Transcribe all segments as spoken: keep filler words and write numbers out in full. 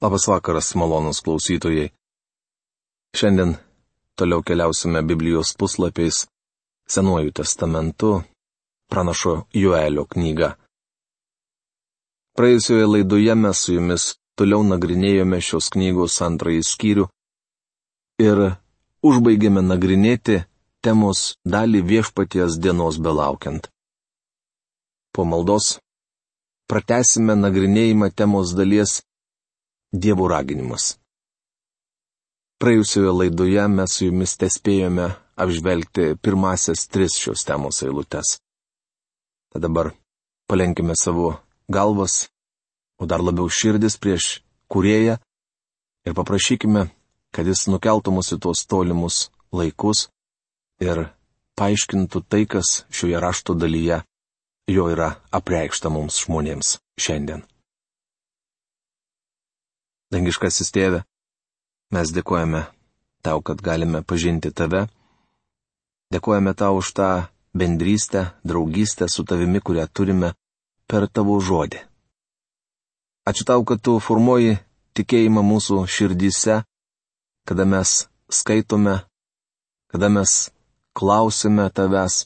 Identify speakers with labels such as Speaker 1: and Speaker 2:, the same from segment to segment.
Speaker 1: Labas vakaras, malonus klausytojai. Šiandien toliau keliausime Biblijos puslapiais Senuoju testamentu, pranašo Joelio knyga. Praėjusioje laidoje mes su jumis toliau nagrinėjome šios knygos antrąjį skyrių ir užbaigėme nagrinėti temos dalį Viešpaties dienos belaukiant. Po maldos pratęsime nagrinėjimą temos dalies Dievo raginimas. Praėjusioje laidoje mes su jumis tespėjome apžvelgti pirmasias tris šios temos eilutes. Tad dabar palenkime savo galvas, o dar labiau širdis prieš Kūrėją ir paprašykime, kad jis nukeltų mus į tuos tolimus laikus ir paaiškintų tai, kas šioje rašto dalyje jo yra apreikšta mums žmonėms šiandien. Dangiškasis Tėve, mes dėkojame Tau, kad galime pažinti Tave. Dėkojame Tau už tą bendrystę, draugystę su Tavimi, kurią turime per Tavo žodį. Ačiū Tau, kad Tu formuoji tikėjimą mūsų širdyse, kada mes skaitome, kada mes klausime Tavęs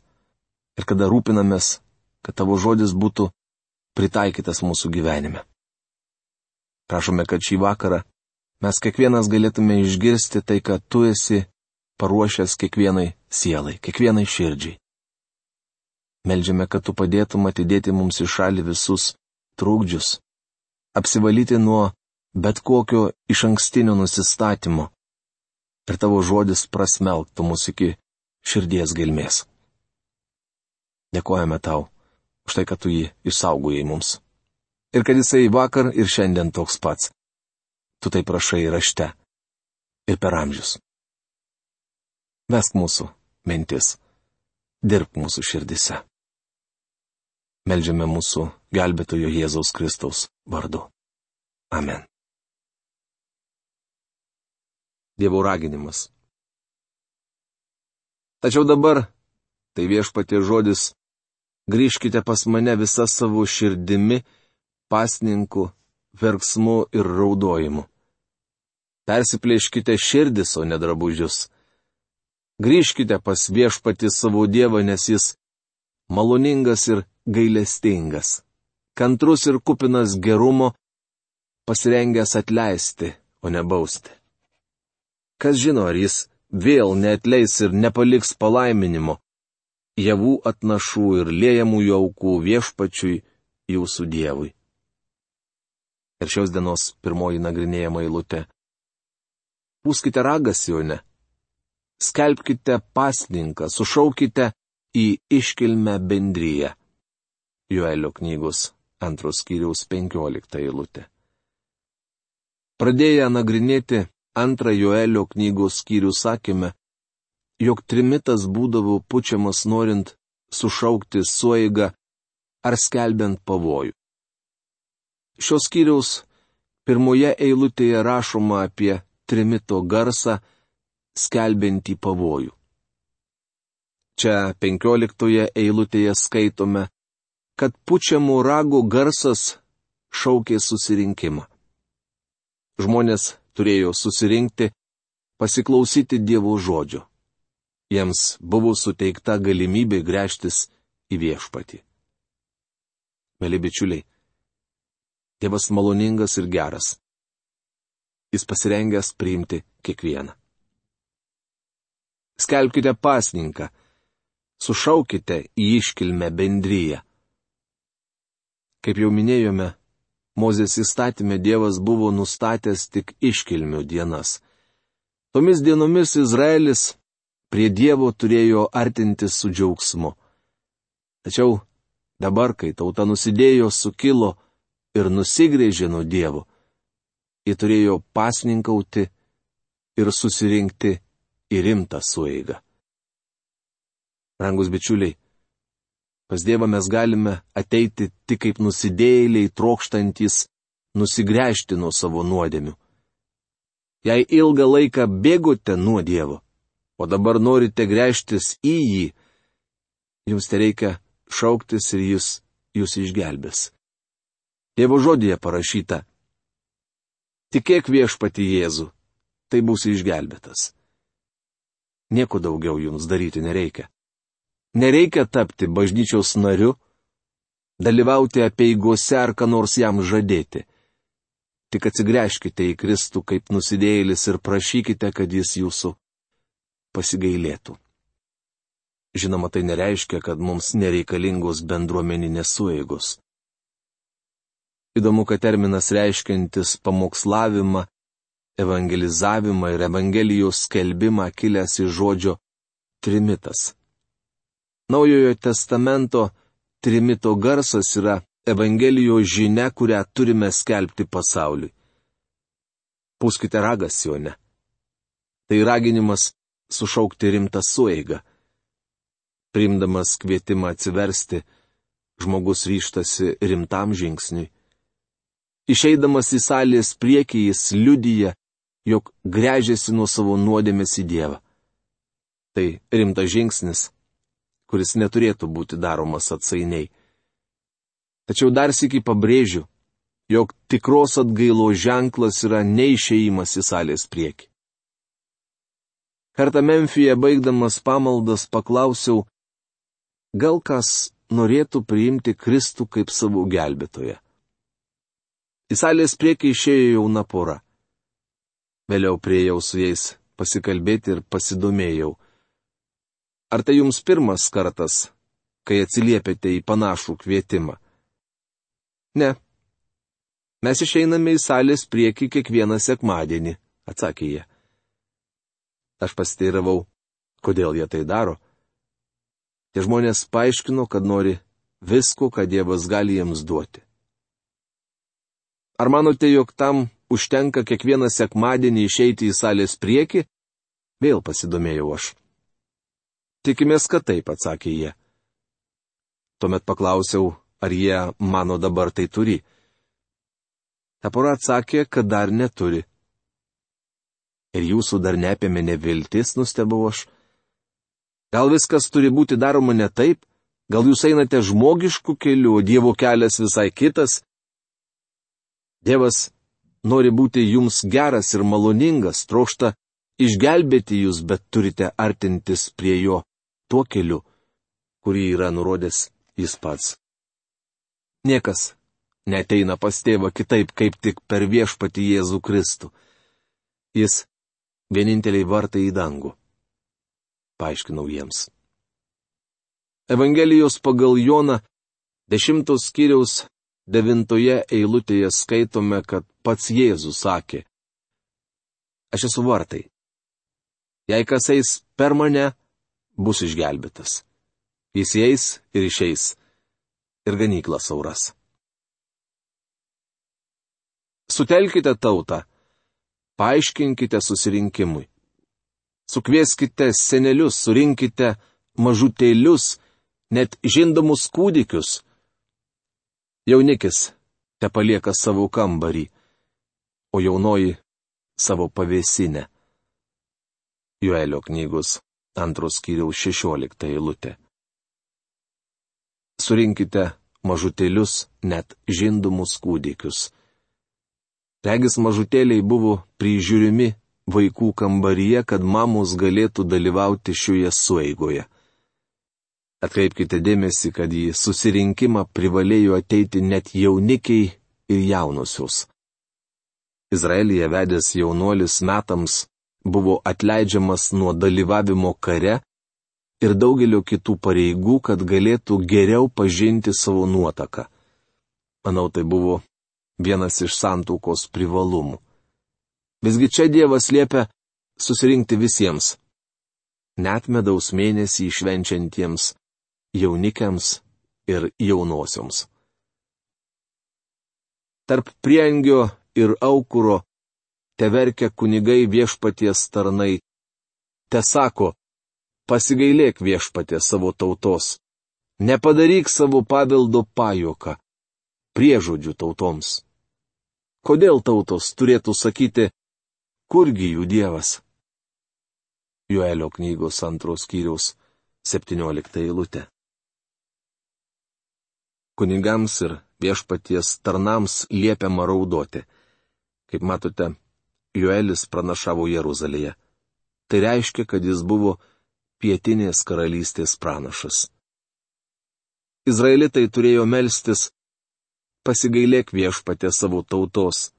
Speaker 1: ir kada rūpinamės, kad Tavo žodis būtų pritaikytas mūsų gyvenime. Prašome, kad šį vakarą mes kiekvienas galėtume išgirsti tai, kad Tu esi paruošęs kiekvienai sielai, kiekvienai širdžiai. Meldžiame, kad Tu padėtum atidėti mums į šalį visus trukdžius, apsivalyti nuo bet kokio išankstinio nusistatymo ir Tavo žodis prasmelktų mus iki širdies gelmės. Dėkojame Tau už tai, kad Tu jį išsaugojai mums. Ir kad jisai vakar ir šiandien toks pats. Tu tai prašai rašte ir per amžius. Vesk mūsų mintis, dirbk mūsų širdise. Meldžiame mūsų gelbėtojo Jėzaus Kristaus vardu. Amen. Dievo raginimas. Tačiau dabar, tai Viešpaties žodis, grįžkite pas mane visa savo širdimi, pasninku, verksmu ir raudojimu. Persiplėškite širdis, o ne drabužius. Grįžkite pas Viešpatį savo Dievą, nes jis maloningas ir gailestingas, kantrus ir kupinas gerumo, pasirengęs atleisti, o ne bausti. Kas žino, ar jis vėl neatleis ir nepaliks palaiminimo, javų atnašų ir liejamųjų aukų Viešpačiui, jūsų Dievui. Ir šios dienos pirmoji nagrinėjama eilutė. Pūskite ragą Sione, skelbkite pasninką, sušaukite į iškilmę bendriją. Joelio knygos antros skyriaus penkiolikta eilutė. Pradėję nagrinėti antrą Joelio knygos skyrių sakėme, jog trimitas būdavo pučiamas norint sušaukti sueigą ar skelbiant pavojų. Šios skyriaus pirmoje eilutėje rašoma apie trimito garsą, skelbiantį pavojų. Čia penkioliktoje eilutėje skaitome, kad pučiamų ragų garsas šaukė susirinkimą. Žmonės turėjo susirinkti, pasiklausyti Dievo žodžio. Jiems buvo suteikta galimybė gręžtis į Viešpatį. Mėly bičiuliai, Dievas maloningas ir geras. Jis pasirengęs priimti kiekvieną. Skelbkite pasninką, sušaukite į iškilmę bendriją. Kaip jau minėjome, Mozės įstatyme Dievas buvo nustatęs tik iškilmių dienas. Tomis dienomis Izraelis prie Dievo turėjo artintis su džiaugsmu. Tačiau dabar, kai tauta nusidėjo, sukilo ir nusigrėžė nuo Dievo, jie turėjo pasninkauti ir susirinkti į rimtą sueigą. Rangus bičiuliai, pas Dievą mes galime ateiti tik kaip nusidėjėliai trokštantis nusigręžti nuo savo nuodėmių. Jei ilgą laiką bėgote nuo Dievo, o dabar norite gręžtis į jį, jums tereikia šauktis ir jis jūs išgelbės. Dievo žodyje parašyta: Tikėk viešpatį Jėzų, tai būsi išgelbėtas. Nieko daugiau jums daryti nereikia. Nereikia tapti bažnyčios nariu, dalyvauti apeigose ar ką nors jam žadėti. Tik atsigręžkite į Kristų kaip nusidėjėlis ir prašykite, kad jis jūsų pasigailėtų. Žinoma, tai nereiškia, kad mums nereikalingos bendruomeninės sueigos. Įdomu, kad terminas reiškiantis pamokslavimą, evangelizavimą ir evangelijos skelbimą kilęs iš žodžio trimitas. Naujojo testamento trimito garsas yra evangelijos žinia, kurią turime skelbti pasauliui. Pūskite ragą Sione. Tai raginimas sušaukti rimtą sueigą. Priimdamas kvietimą atsiversti, žmogus ryžtasi rimtam žingsniui. Išeidamas į salės priekį jis liudija, jog gręžiasi nuo savo nuodėmės į Dievą. Tai rimtas žingsnis, kuris neturėtų būti daromas atsainiai. Tačiau dar sykį pabrėžiu, jog tikros atgailos ženklas yra neišėjimas į salės priekį. Kartą Memfyje baigdamas pamaldas paklausiau, gal kas norėtų priimti Kristų kaip savo gelbėtoją. Į salės priekį išėjo jauna pora. Vėliau priėjau su jais pasikalbėti ir pasidomėjau. Ar tai jums pirmas kartas, kai atsiliepėte į panašų kvietimą? Ne. Mes išeiname į salės priekį kiekvieną sekmadienį, atsakė jie. Aš pasiteiravau, kodėl jie tai daro. Tie žmonės paaiškino, kad nori visko, ką Dievas gali jiems duoti. Ar manote, jog tam užtenka kiekvieną sekmadienį išeiti į salės priekį? Vėl pasidomėjau aš. Tikimės, kad taip, atsakė jie. Tuomet paklausiau, ar jie mano dabar tai turi. Ta pora atsakė, kad dar neturi. Ir jūsų dar neapėmė neviltis, nustebau aš. Gal viskas turi būti daroma ne taip? Gal jūs einate žmogišku keliu, o Dievo kelias visai kitas? Dievas nori būti jums geras ir maloningas, trokšta išgelbėti jūs, bet turite artintis prie jo tuo keliu, kurį yra nurodęs jis pats. Niekas neateina pas tėvą kitaip, kaip tik per viešpatį Jėzų Kristų. Jis vieninteliai vartai į dangų. Paaiškinau jiems. Evangelijos pagal Joną dešimtos skyriaus devintoje eilutėje skaitome, kad pats Jėzus sakė: Aš esu vartai. Jei kas eis per mane, bus išgelbėtas. Jis eis ir išeis, ir ganykla sauras. Sutelkite tautą, paaiškinkite susirinkimui. Sukvieskite senelius, surinkite mažutėlius, net žindomus kūdikius. Jaunikis te palieka savo kambarį, o jaunoji savo pavėsinę. Joelio knygos antros skyriaus šešiolikta eilutė. Surinkite mažutėlius, net žindomus kūdikius. Regis mažutėliai buvo prižiūrimi vaikų kambaryje, kad mamos galėtų dalyvauti šioje sueigoje. Atkreipkite dėmesį, kad į susirinkimą privalėjo ateiti net jaunikiai ir jaunosios. Izraelyje vedęs jaunuolis metams buvo atleidžiamas nuo dalyvavimo kare ir daugelio kitų pareigų, kad galėtų geriau pažinti savo nuotaką. Manau, tai buvo vienas iš santuokos privalumų. Visgi čia Dievas liepia susirinkti visiems, net medaus mėnesį švenčiantiems jaunikiams ir jaunosioms. Tarp priengio ir aukuro teverkia kunigai viešpaties tarnai, te sako: pasigailėk viešpatie savo tautos, nepadaryk savo paveldo pajuoką, priežodžių tautoms. Kodėl tautos turėtų sakyti, kurgi jų Dievas? Joelio knygos antros skyriaus septyniolikta eilutė. Kunigams ir viešpaties tarnams liepiama raudoti. Kaip matote, Joelis pranašavo Jeruzalėje. Tai reiškia, kad jis buvo pietinės karalystės pranašas. Izraelitai turėjo melstis: pasigailėk viešpatie savo tautos,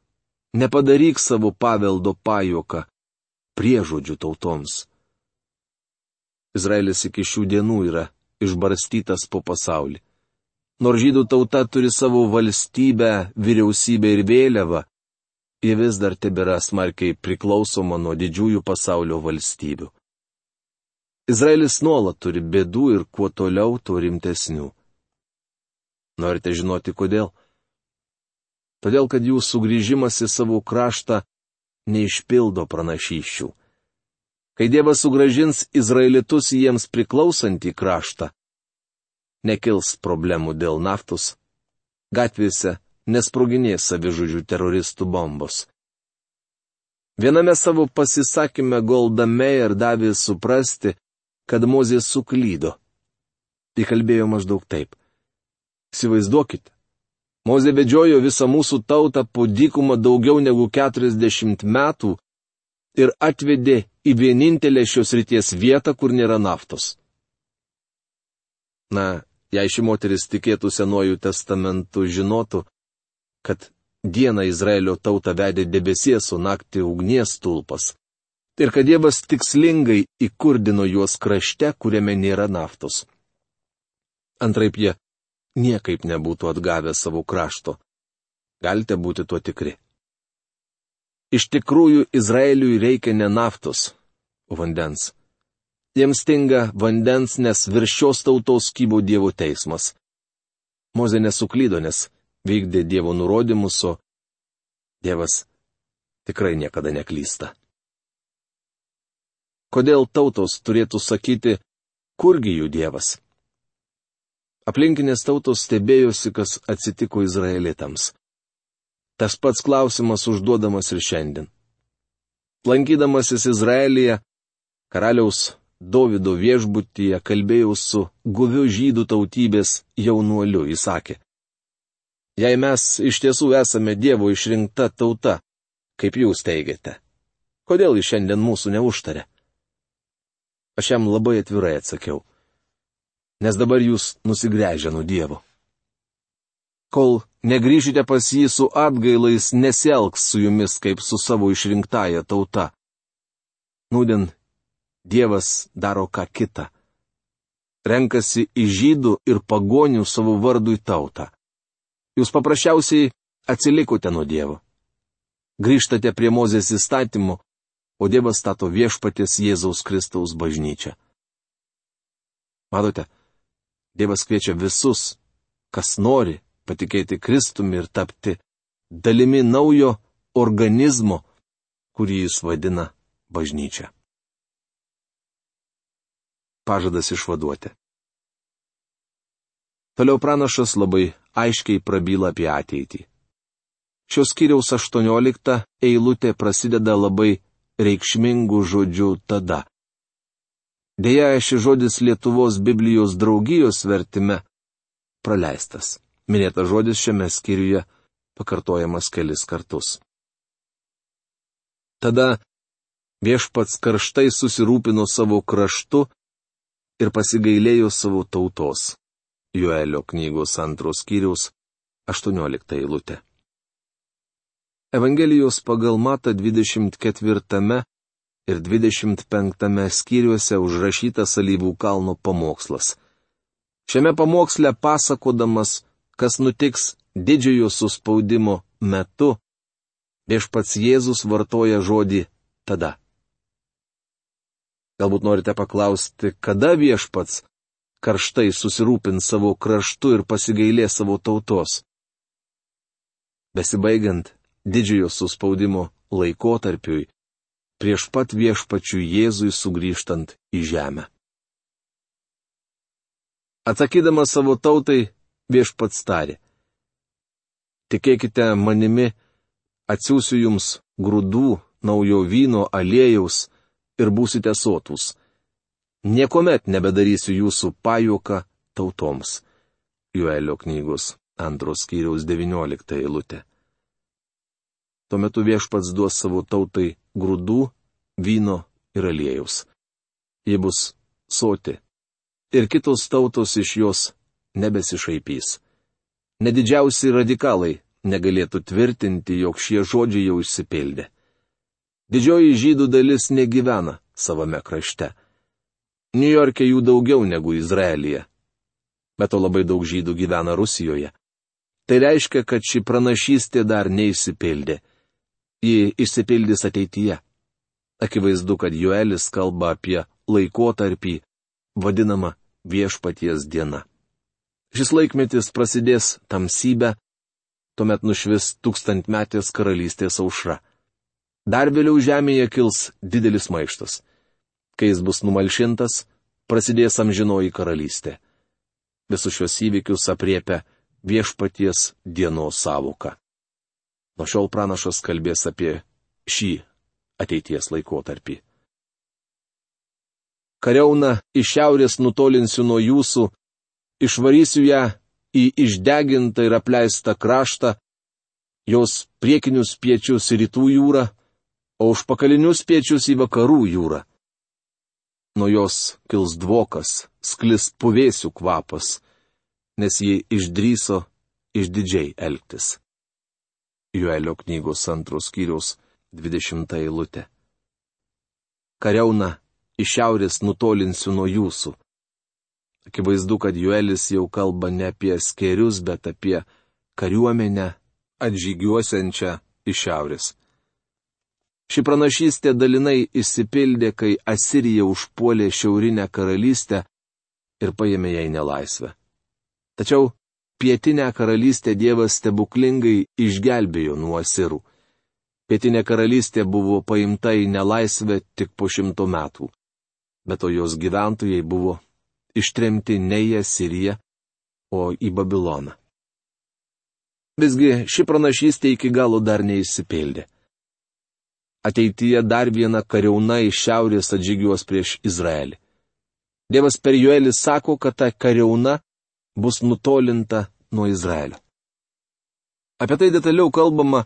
Speaker 1: nepadaryk savo paveldo pajuoką priežodžių tautoms. Izraelis iki šių dienų yra išbarstytas po pasaulį. Nors žydų tauta turi savo valstybę, vyriausybę ir vėliavą, ji vis dar tebėra smarkiai priklausoma nuo didžiųjų pasaulio valstybių. Izraelis nuolat turi bėdų ir kuo toliau, tuo rimtesnių. Norite žinoti kodėl? Todėl, kad jų sugrįžimas į savo kraštą neišpildo pranašysčių. Kai Dievas sugrąžins Izraelitus į jiems priklausantį kraštą, nekils problemų dėl naftos, gatvėse nesproginės savižudžių teroristų bombos. Viename savo pasisakyme Golda Meir davė suprasti, kad Mozė suklydo. Ji kalbėjo maždaug taip: įsivaizduokite, Mozė vedžiojo visą mūsų tautą po dykumą daugiau negu keturiasdešimt metų ir atvedė į vienintelę šios ryties vietą, kur nėra naftos. Na, jei ši moteris tikėtų Senuoju testamentu, žinotų, kad dieną Izraelio tautą vedė debesies, o naktį ugnies stulpas, ir kad Dievas tikslingai įkurdino juos krašte, kuriame nėra naftos. Antraip jie niekaip nebūtų atgavę savo krašto. Galite būti tuo tikri. Iš tikrųjų, Izraeliui reikia ne naftos, o vandens. Jiems stinga vandens, nes virš šios tautos kybo Dievo teismas. Mozė nesuklydo, nes vykdė Dievo nurodymus, o Dievas tikrai niekada neklysta. Kodėl tautos turėtų sakyti, kurgi jų Dievas? Aplinkinės tautos stebėjosi, kas atsitiko izraelitams. Tas pats klausimas užduodamas ir šiandien. Lankydamasis Izraelyje, karaliaus Dovydo viešbutyje kalbėjau su guviu žydų tautybės jaunuoliu, jis sakė: jei mes iš tiesų esame Dievo išrinkta tauta, kaip jūs teigiate, kodėl jis šiandien mūsų neužtarė? Aš jam labai atvirai atsakiau: nes dabar jūs nusigręžę nuo Dievo. Kol negrįžite pas jį su atgailais, nesielgs su jumis kaip su savo išrinktąja tauta. Nūdien Dievas daro ką kitą. Renkasi į žydų ir pagonių savo vardui tautą. Jūs paprasčiausiai atsilikote nuo Dievo. Grįžtate prie Mozės įstatymų, o Dievas stato viešpaties Jėzaus Kristaus bažnyčią. Matote, Dievas kviečia visus, kas nori patikėti Kristumi ir tapti dalimi naujo organizmo, kurį jis vadina bažnyčia. Pažadas išvaduoti. Toliau pranašas labai aiškiai prabyla apie ateitį. Šios skyriaus aštuoniolikta eilutė prasideda labai reikšmingų žodžių tada. Deja, šis žodis Lietuvos Biblijos draugijos vertime praleistas. Minėtas žodis šiame skyriuje pakartojamas kelis kartus. Tada viešpats karštai susirūpino savo kraštu ir pasigailėjo savo tautos. Joelio knygos antros skyriaus aštuoniolikta eilutė. Evangelijos pagal Matą dvidešimt ketvirtame ir dvidešimt penktame skyriuose užrašytas Alyvų kalno pamokslas. Šiame pamoksle pasakodamas, kas nutiks didžiojo suspaudimo metu, viešpats Jėzus vartoja žodį tada. Galbūt norite paklausti, kada viešpats karštai susirūpins savo kraštu ir pasigailės savo tautos. Besibaigiant didžiojo suspaudimo laikotarpiui, prieš pat viešpačių Jėzui sugrįžtant į žemę. Atsakydamas savo tautai, viešpats tarė: tikėkite manimi, atsiųsiu jums grūdų, naujo vyno, aliejaus ir būsite sotūs. Niekuomet nebedarysiu jūsų pajuoką tautoms. Joelio knygos antros skyriaus devyniolikta eilutė. Tuo metu viešpats duos savo tautai grūdų, vyno ir aliejaus. Ji bus soti. Ir kitos tautos iš jos nebesišaipys. Nedidžiausi radikalai negalėtų tvirtinti, jog šie žodžiai jau išsipildė. Didžioji žydų dalis negyvena savame krašte. Niujorke jų daugiau negu Izraelyje. Bet to labai daug žydų gyvena Rusijoje. Tai reiškia, kad ši pranašystė dar neišsipildė. Ji išsipildys ateityje. Akivaizdu, kad Joelis kalba apie laikotarpį, vadinamą viešpaties diena. Šis laikmetis prasidės tamsybę, tuomet nušvis tūkstantmetės karalystės aušra. Dar vėliau žemėje kils didelis maištas. Kai jis bus numalšintas, prasidės amžinoji karalystė. Visus šios įvykius apriepia viešpaties dienos sąvoka. Nuo šiol pranašas kalbės apie šį ateities laikotarpį. Kariauną iš šiaurės nutolinsiu nuo jūsų, išvarysiu ją į išdegintą ir apleistą kraštą, jos priekinius piečius į rytų jūrą, o užpakalinius piečius į vakarų jūrą. Nuo jos kils dvokas, sklis puvėsių kvapas, nes ji išdryso išdidžiai elgtis. Joelio knygos antros skyriaus dvidešimta eilutė. Kariauną iš šiaurės nutolinsiu nuo jūsų. Akivaizdu, kad Joelis jau kalba ne apie skėrius, bet apie kariuomenę atžygiuosiančią iš šiaurės. Ši pranašystė dalinai išsipildė, kai Asirija užpuolė šiaurinę karalystę ir paėmė jai nelaisvę. Tačiau pietinę karalystę Dievas stebuklingai išgelbėjo nuo asirų. Pietinė karalystė buvo paimta į nelaisvę tik po šimto metų, bet o jos gyventojai buvo ištremti ne į Asiriją, o į Babiloną. Visgi ši pranašystė iki galo dar neišsipildė. Ateityje dar viena kariauna iš šiaurės atžygiuos prieš Izraelį. Dievas per Joelį sako, kad ta kariauna bus nutolinta nuo Izraelio. Apie tai detaliau kalbama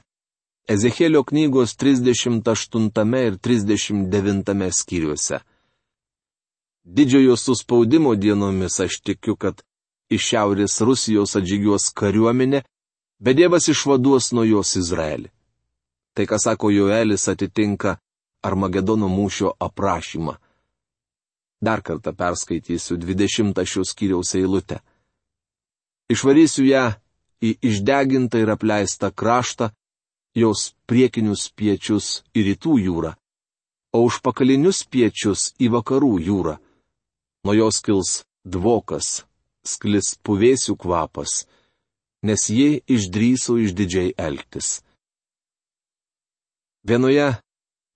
Speaker 1: Ezechielio knygos trisdešimt aštuntame ir trisdešimt devintame skyriuose. Didžiojo suspaudimo dienomis aš tikiu, kad iš šiaurės Rusijos atžygiuos kariuomenė, bet Dievas išvaduos nuo jos Izraelį. Tai, ką sako Joelis, atitinka Armagedono mūšio aprašymą. Dar kartą perskaitysiu dvidešimtą šios skyriaus eilutę. Išvarysiu ją į išdegintą ir apleistą kraštą, jos priekinius piečius į rytų jūrą, o užpakalinius piečius į vakarų jūrą. Nuo jos kils dvokas, sklis puvėsių kvapas, nes ji išdryso išdidžiai elgtis. Vienoje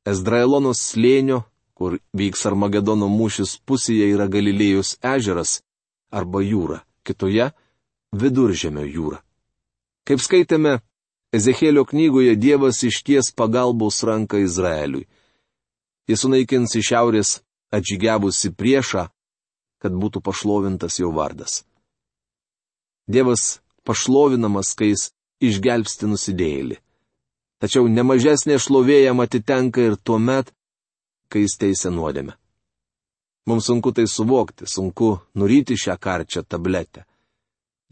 Speaker 1: Ezdraelonos slėnio, kur vyks Armagedono mūšis, pusėje yra Galilėjos ežeras arba jūra, kitoje Viduržemio jūra. Kaip skaitėme Ezechielio knygoje, Dievas išties pagalbos ranką Izraeliui. Jis sunaikins iš šiaurės atžygiavusi priešą, kad būtų pašlovintas jo vardas. Dievas pašlovinamas, kai jis išgelbsti nusidėjėlį. Tačiau nemažesnė šlovė jam atitenka ir tuomet, kai jis teisia nuodėmę. Mums sunku tai suvokti, sunku nuryti šią karčią tabletę.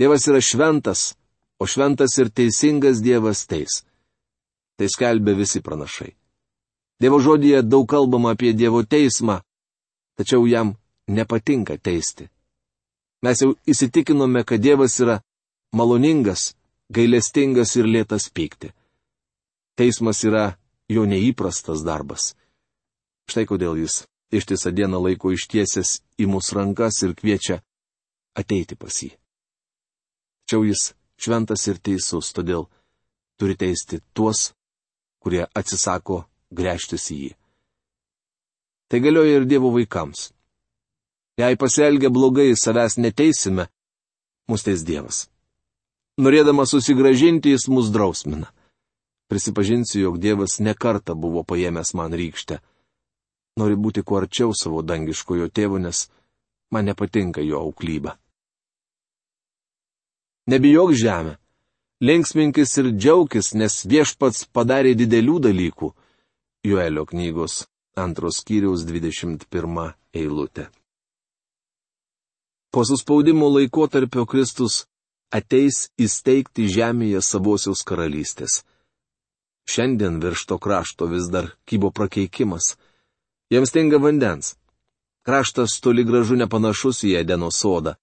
Speaker 1: Dievas yra šventas, o šventas ir teisingas Dievas teis. Tai skelbia visi pranašai. Dievo žodyje daug kalbama apie Dievo teismą, tačiau jam nepatinka teisti. Mes jau įsitikinome, kad Dievas yra maloningas, gailestingas ir lėtas pykti. Teismas yra jo neįprastas darbas. Štai kodėl jis ištisą dieną laiko ištiesęs į mūsų rankas ir kviečia ateiti pas jį. Tačiau jis šventas ir teisus, todėl turi teisti tuos, kurie atsisako gręžtis į jį. Tai galioja ir Dievo vaikams. Jei pasielgia blogai, savęs neteisime, mus teis Dievas. Norėdamas susigrąžinti, jis mus drausmina. Prisipažinsiu, jog Dievas nekartą buvo paėmęs man rykštę. Nori būti kuo arčiau savo dangiškojo tėvo, nes man nepatinka jo auklyba. Nebijok žemė, Linksminkis ir džiaukis, nes Viešpats padarė didelių dalykų. Joelio knygos antros skyriaus dvidešimt pirma eilutė. Po suspaudimo laikotarpio Kristus ateis įsteigti žemėje savosios karalystės. Šiandien virš to krašto vis dar kybo prakeikimas. Jiems stinga vandens. Kraštas toli gražu nepanašus į Edeno sodą.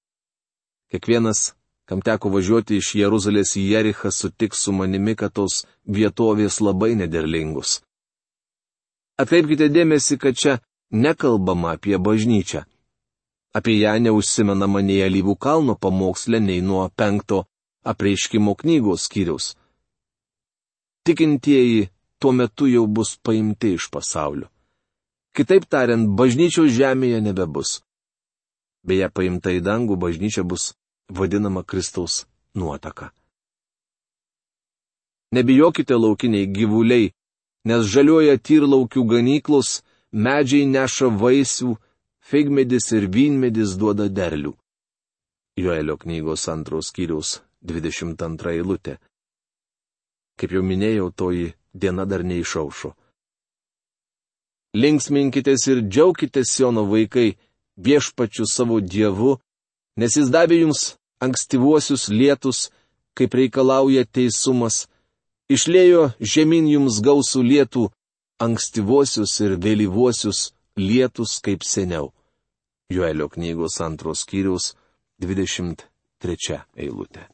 Speaker 1: Kiekvienas, kam teko važiuoti iš Jeruzalės į Jerichą, sutiks su manimi, kad tos vietovės labai nederlingos. Atkreipkite dėmesį, kad čia nekalbama apie bažnyčią. Apie ją neužsimenama nei Alyvų kalno pamoksle, nei nuo penkto apreiškimo knygos skyriaus. Tikintieji tuo metu jau bus paimti iš pasaulio. Kitaip tariant, bažnyčios žemėje nebebus. Beje, paimta į dangų bažnyčia bus vadinama Kristaus nuotaka. Nebijokite laukiniai gyvuliai, nes žaliuoja tyrlaukių ganyklos, medžiai neša vaisių, figmedis ir vynmedis duoda derlių. Joelio knygos antros skyriaus dvidešimt antra eilutė. Kaip jau minėjau, toji diena dar neišaušo. Linksminkitės ir džiaukitės, Siono vaikai, Viešpačiu savo Dievu, nes jis davė jums ankstyvuosius lietus, kaip reikalauja teisumas, išliejo žemyn jums gausų lietų, ankstyvuosius ir vėlyvuosius lietus kaip seniau. Joelio knygos antros skyriaus dvidešimt trečia eilutė.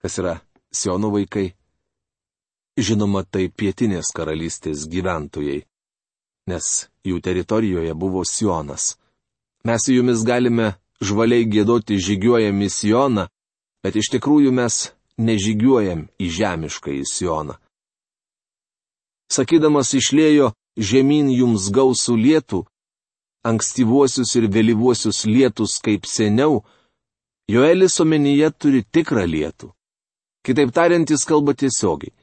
Speaker 1: Kas yra Siono vaikai? Žinoma, tai pietinės karalystės gyventojai, nes jų teritorijoje buvo Sionas. Mes su jumis galime žvaliai giedoti žygiuojam į Sioną, bet iš tikrųjų mes nežygiuojam į žemišką į Sioną. Sakydamas išliejo žemyn jums gausų lietų, ankstyvuosius ir vėlyvuosius lietus kaip seniau, Joelis omenyje turi tikrą lietų. Kitaip tariant, jis kalba tiesiogiai.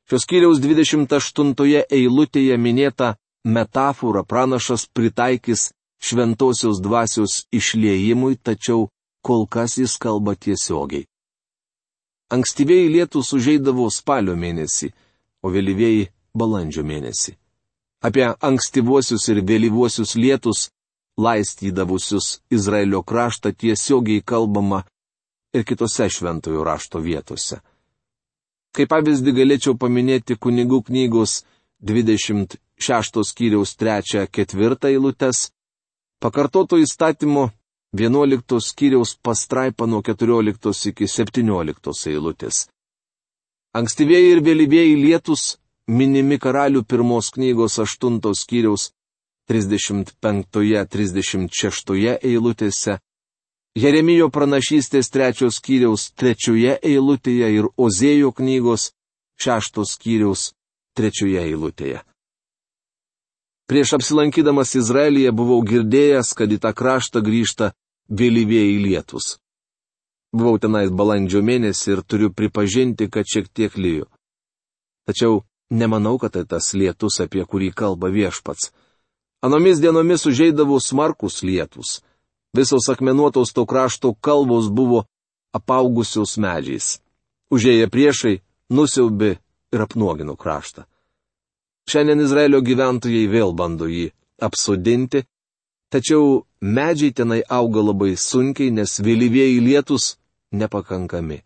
Speaker 1: Šios skyriaus dvidešimt aštuntoje eilutėje minėta metafora pranašas pritaikys šventosios dvasios išliejimui, tačiau kol kas jis kalba tiesiogiai. Ankstyvieji lietus užeidavo spalio mėnesį, o vėlyvieji balandžio mėnesį. Apie ankstyvuosius ir vėlyvuosius lietus, laistydavusius Izraelio kraštą, tiesiogiai kalbama ir kitose šventojo rašto vietose. Kaip pavyzdį galėčiau paminėti Kunigų knygos dvidešimt šeštos skyriaus trečią ketvirtą eilutes, pakartoto įstatymo vienuoliktos skyriaus pastraipą nuo keturioliktos iki septynioliktos eilutės. Ankstyvieji ir vėlyvieji lietus minimi Karalių pirmos knygos aštuntos skyriaus trisdešimt penktoje trisdešimt šeštoje eilutėse, Jeremijo pranašystės trečios skyriaus trečioje eilutėje ir Ozėjo knygos šeštos skyriaus trečioje eilutėje. Prieš apsilankydamas Izraelyje buvau girdėjęs, kad į tą kraštą grįžta vėlyvieji lietus. Buvau tenais balandžio mėnesį ir turiu pripažinti, kad šiek tiek lijo. Tačiau nemanau, kad tai tas lietus, apie kurį kalba Viešpats. Anomis dienomis užeidavo smarkus lietus. Visos akmenuotos to krašto kalvos buvo apaugusios medžiais. Užėję priešai nusiaubė ir apnuogino kraštą. Šiandien Izraelio gyventojai vėl bando jį apsodinti, tačiau medžiai tenai auga labai sunkiai, nes vėlyvieji lietus nepakankami.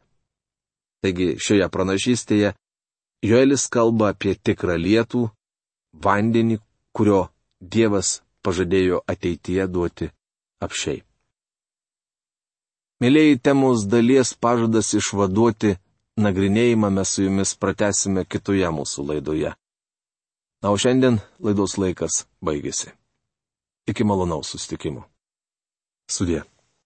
Speaker 1: Taigi šioje pranašystėje Joelis kalba apie tikrą lietų, vandenį, kurio Dievas pažadėjo ateityje duoti apšiai. Mėlėjai, temos dalies pažadas išvaduoti nagrinėjimą mes su jumis pratęsime kitoje mūsų laidoje. Na, o šiandien laidos laikas baigėsi. Iki malonaus susitikimo. Sudie.